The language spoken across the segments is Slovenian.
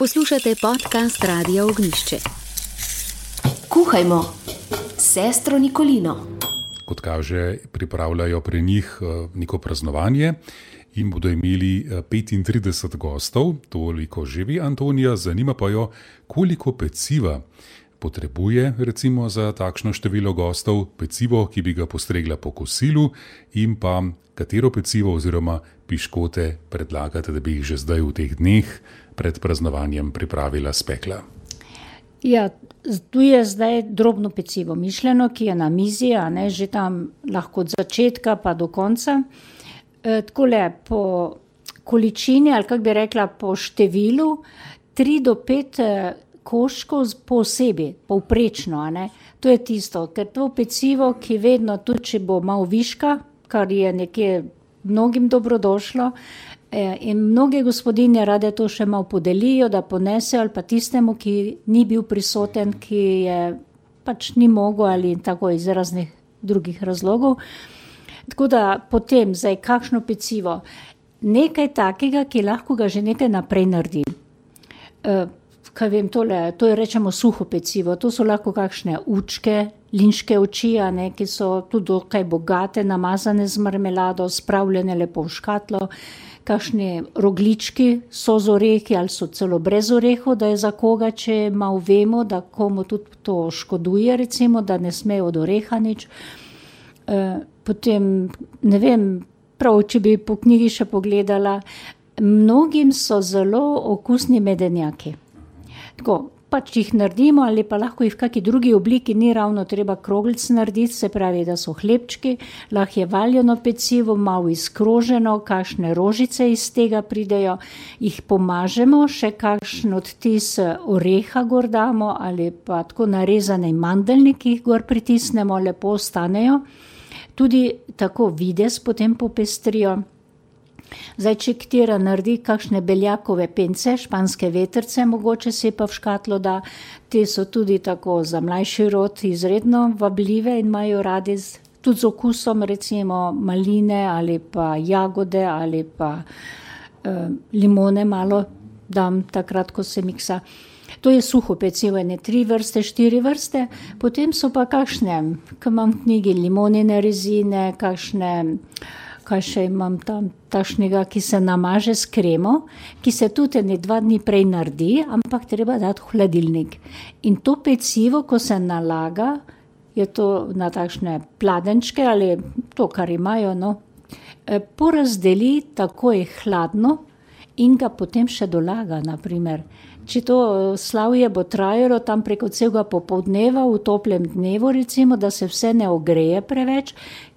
Poslušate podcast Radia Ognjišče. Kuhajmo s sestro Nikolino. Kot kaže, pripravljajo pri njih neko praznovanje in bodo imeli 35 gostov, toliko živi Antonija, zanima pa jo, koliko peciva potrebuje recimo za takšno število gostov, pecivo, ki bi ga postregla po kosilu, in pa katero pecivo oziroma piškote predlagate, da bi jih že zdaj v teh dneh pred praznovanjem pripravila, spekla. Ja, tu je zdaj drobno pecivo mišljeno, ki je na mizi, že tam lahko od začetka pa do konca. Takole po količini, ali kako bi rekla, po številu, 3 do 5 koščkov posebej, povprečno. To je tisto, ker to pecivo, ki vedno, tudi če bo malo viška, kar je nekje mnogim dobrodošlo, in mnoge gospodinje rade to še malo podelijo, da ponesejo, ali pa tistemu, ki ni bil prisoten, ki je pač ni mogel ali tako iz raznih drugih razlogov. Tako da potem, zdaj kakšno pecivo, nekaj takega, ki lahko ga že nekaj naprej naredi. Kaj vem, to je rečemo suho pecivo, to so lahko kakšne učke, linške oči, ki so tudi dokaj bogate, namazane z marmelado, spravljene lepo v škatlo, kakšni roglički so z orehi ali so celo brez orehov, da je za koga, če malo vemo, da komu tudi to škoduje, recimo, da ne sme od oreha nič. Potem, ne vem, prav, če bi po knjigi še pogledala, mnogim so zelo okusni medenjaki. Tako, pač jih naredimo ali pa lahko jih v kakšni drugi obliki, ni ravno treba kroglic narediti, se pravi, da so hlebčki, lahko je valjeno pecivo, malo izkroženo, kakšne rožice iz tega pridejo, jih pomažemo, še kakšen odtis oreha gor damo ali pa tako narezane mandeljniki jih gor pritisnemo, lepo ostanejo. Tudi tako videz potem popestrijo. Zdaj, če katera naredi kakšne beljakove pence, španske vetrce, mogoče se pa v škatlo da, te so tudi tako za mlajši rod izredno vabljive in imajo radi tudi z okusom, recimo maline ali pa jagode ali pa limone malo dam takrat, ko se miksa. To je suho pecivo, 3 vrste, 4 vrste, potem so pa kakšne, ko imam v knjigi limonine rezine, kakšne, kaj še imam tam, takšnega, ki se namaže s kremo, ki se tudi 2 dni prej naredi, ampak treba dati v hladilnik. In to pecivo, ko se nalaga, je to na takšne pladenčke ali to, kar imajo, porazdeli takoj hladno in ga potem še dolaga, naprimer. Če to slavje bo trajalo tam preko celega popoldneva v toplem dnevu, recimo, da se vse ne ogreje preveč,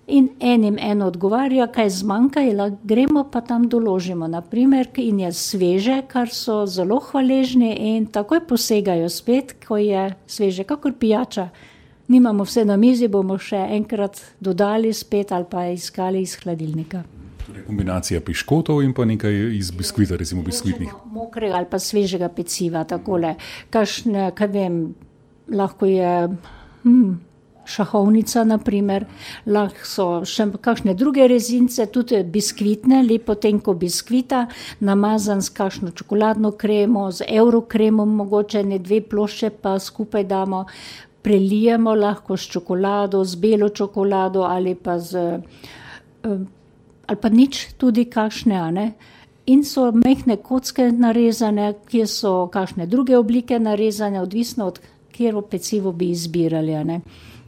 in enim eno odgovarja, kaj zmanjka, gremo pa tam doložimo, naprimer, in je sveže, kar so zelo hvaležni in takoj posegajo spet, ko je sveže, kakor pijača. Nimamo vse na mizi, bomo še enkrat dodali spet ali pa iskali iz hladilnika. Torej kombinacija piškotov in pa nekaj iz biskvita, recimo biskvitnih. Mokrega ali pa svežega peciva, takole. Kakšne, kaj vem, lahko je šahovnica, naprimer, lahko so še kakšne druge rezince, tudi biskvitne, lepo tenko biskvita, namazan s kakšno čokoladno kremo, z eurokremom, mogoče 2 plošče pa skupaj damo, prelijemo lahko s čokolado, z belo čokolado ali pa ali pa nič tudi kakšne, in so mehne kocke narezane, kjer so kakšne druge oblike narezane, odvisno od katero pecivo bi izbirali,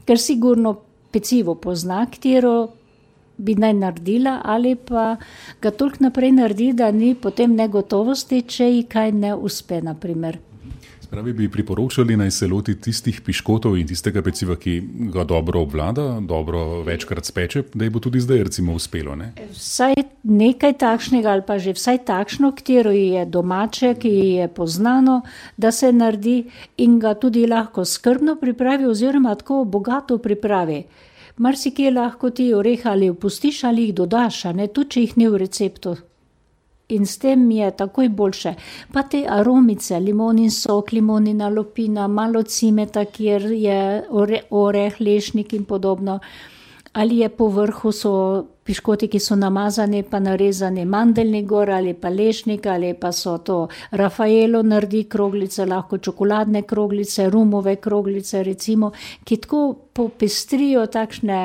Ker sigurno pecivo pozna, katero bi naj naredila, ali pa ga toliko naprej naredi, da ni potem negotovosti, če ji kaj ne uspe, naprimer. Spravi bi priporočali naj se loti tistih piškotov in tistega peciva, ki ga dobro obvlada, dobro večkrat speče, da ji bo tudi zdaj recimo uspelo, Vsaj nekaj takšnega ali pa že vsaj takšno, katero je domače, ki je poznano, da se naredi in ga tudi lahko skrbno pripravi oziroma tako bogato pripravi. Marsikje lahko ti oreha ali opustiš ali jih dodaš, tudi če jih ni v receptu. In s tem je takoj boljše. Pa te aromice, limonin sok, limonina lupina, malo cimeta, kjer je oreh, lešnik in podobno. ali je po vrhu so piškoti, ki so namazani, pa narezani mandeljni gor, ali pa lešnik, ali pa so to Rafaelo naredi kroglice, lahko čokoladne kroglice, rumove kroglice, recimo, ki tako popestrijo takšne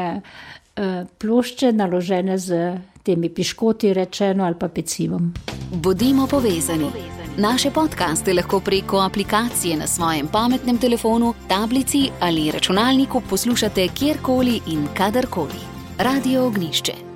plošče naložene z temi piškoti, rečeno, ali pa pecivom. Bodimo povezani. Naše podcaste lahko preko aplikacije na svojem pametnem telefonu, tablici ali računalniku poslušate kjerkoli in kadarkoli. Radio Ognišče.